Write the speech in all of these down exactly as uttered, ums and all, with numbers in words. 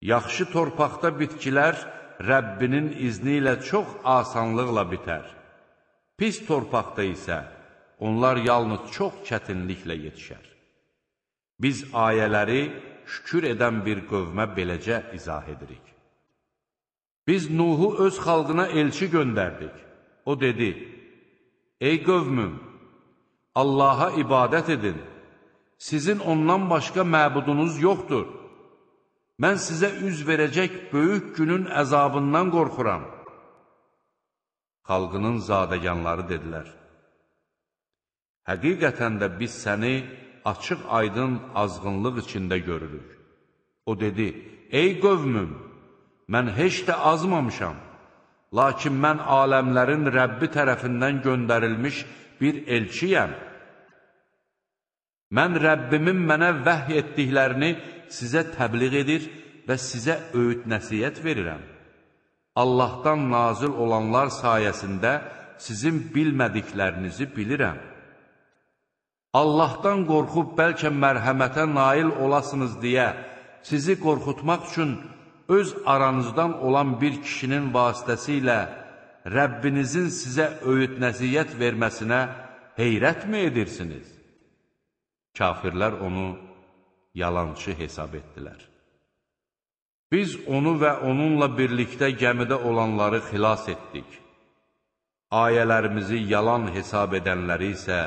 Yaxşı torpaqda bitkilər Rəbbinin izni ilə çox asanlıqla bitər. Pis torpaqda isə onlar yalnız çox çətinliklə yetişər. Biz ayələri şükür edən bir qövmə beləcə izah edirik. Biz Nuhu öz xalqına elçi göndərdik. O dedi, ey qövmüm, Allaha ibadət edin, sizin ondan başqa məbudunuz yoxdur. Mən sizə üz verəcək böyük günün əzabından qorxuram. Xalqının zadəganları dedilər, həqiqətən də biz səni açıq aydın azğınlıq içində görürük. O dedi, ey qövmüm, mən heç də azmamışam, lakin mən aləmlərin Rəbbi tərəfindən göndərilmiş bir elçiyəm. Mən Rəbbimin mənə vəhy etdiklərini sizə təbliğ edir və sizə öyüd nəsiyyət verirəm. Allahdan nazil olanlar sayəsində sizin bilmədiklərinizi bilirəm. Allahdan qorxub bəlkə mərhəmətə nail olasınız deyə sizi qorxutmaq üçün öz aranızdan olan bir kişinin vasitəsilə Rəbbinizin sizə öyüd nəsiyyət verməsinə heyrətmi edirsiniz? Kafirlər onu yalançı hesab etdilər. Biz onu və onunla birlikdə gəmidə olanları xilas etdik. Ayələrimizi yalan hesab edənləri isə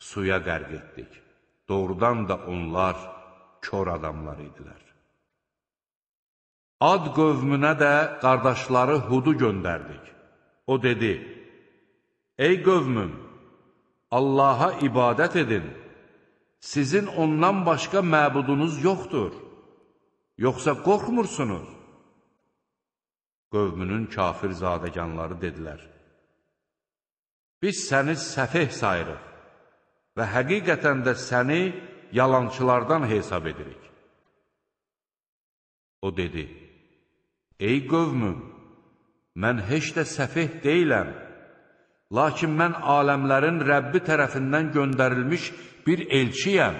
suya qərq etdik. Doğrudan da onlar kör adamlar idilər. Ad qövmünə də qardaşları Hudu göndərdik. O dedi, ey qövmüm, Allaha ibadət edin, sizin ondan başqa məbudunuz yoxdur, yoxsa qorxmursunuz? Qövmünün kafir zadəganları dedilər, biz səni səfeh sayırıq və həqiqətən də səni yalançılardan hesab edirik. O dedi, ey qövmüm, mən heç də səfeh deyiləm, lakin mən aləmlərin Rəbbi tərəfindən göndərilmiş bir elçiyəm.